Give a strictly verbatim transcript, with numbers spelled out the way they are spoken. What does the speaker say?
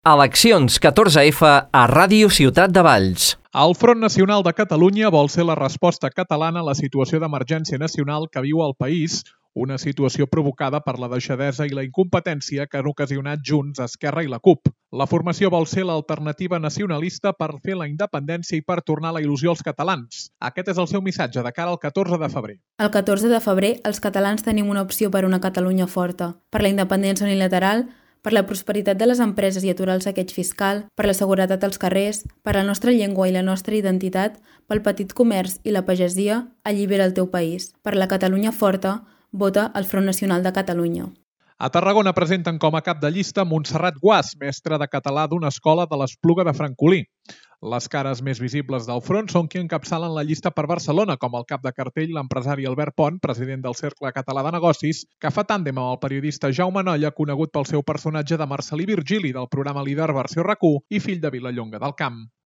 Eleccions catorze efa a Ràdio Ciutat de Valls. El Front Nacional de Catalunya vol ser la resposta catalana a la situació d'emergència nacional que viu el país, una situació provocada per la deixadesa i la incompetència que han ocasionat Junts, Esquerra i la CUP. La formació vol ser l'alternativa nacionalista per fer la independència i per tornar la il·lusió als catalans. Aquest és el seu missatge de cara al catorze de febrer. El catorze de febrer, els catalans tenim una opció per una Catalunya forta, per la independència unilateral, per la prosperitat de les empreses i aturar el saqueig fiscal, per la seguretat als carrers, per la nostra llengua i la nostra identitat, pel petit comerç i la pagesia, allibera el teu país. Per la Catalunya forta, vota el Front Nacional de Catalunya. A Tarragona presenten com a cap de llista Montserrat Guàs, mestra de català d'una escola de l'Espluga de Francolí. Les cares més visibles del front són qui encapçalen la llista per Barcelona, com el cap de cartell, l'empresari Albert Pont, president del Cercle Català de Negocis, que fa tàndem amb el periodista Jaume Nolla, conegut pel seu personatge de Marcel·lí Virgili del programa Líder versió RAC u i fill de Vilallonga del Camp.